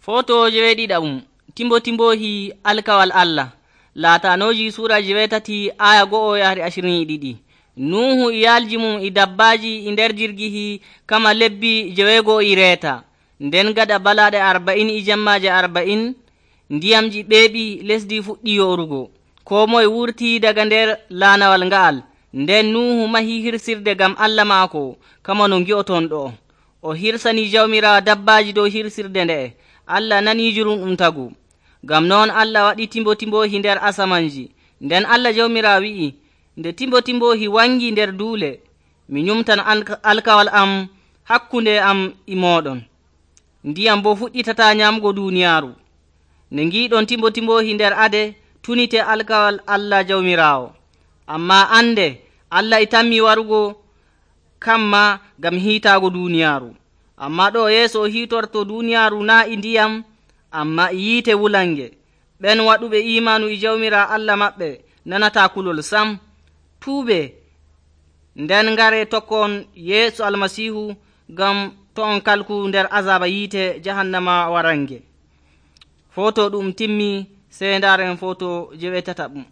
Foto jeweɗiɗaɓum timbotimbohi alkawal Allah laatanoji sura 7 aya 1-22. Nuhu e yalji mum e dabbaji e nder jirgihi kama lebbi 9 nden gada balaɗe 40 e jammaje 40 ndiyamji ɓeeɓi lesdi fuɗɗi yorugo. Ko moye wurti daga nder laanawal nga'al. Nden Nuhu mahi hirsirde gam Allah maako kama no ngi'oton ɗo. O hirsani Jawmirawo dabbaji dow hirsirde nde'e. Allah nani jurum ɗum tagu. Gam noon Allah waɗi timbotimbohi nder asamanji. Nden Allah Jawmirawo wi'i, nde timbotimbohi wangi nder duule, mi nyumtan alkawal am hakkunde am e moɗon. Ndiyam bo fuɗɗitata nyamugo duniyaaru. Ne ngiɗon timbotimbohi nder ade, tunite alkawal Allah Jawmirawo. Amma ande Allah e tammi warugo kamma gam hiitago duniyaaru. Amma ɗo yeeso o hiitorto duniyaaru na e ndiyam, amma e yiite wulange. Ɓen waɗuɓe imanu e Jawmira Allah maɓɓe nanata kulol sam. Tuube nden ngare tokkon Yeesu Almasihu gam to on kalku nder azaba yiite jahannama warange. Foto ɗum timmi, sey ndaren foto 7.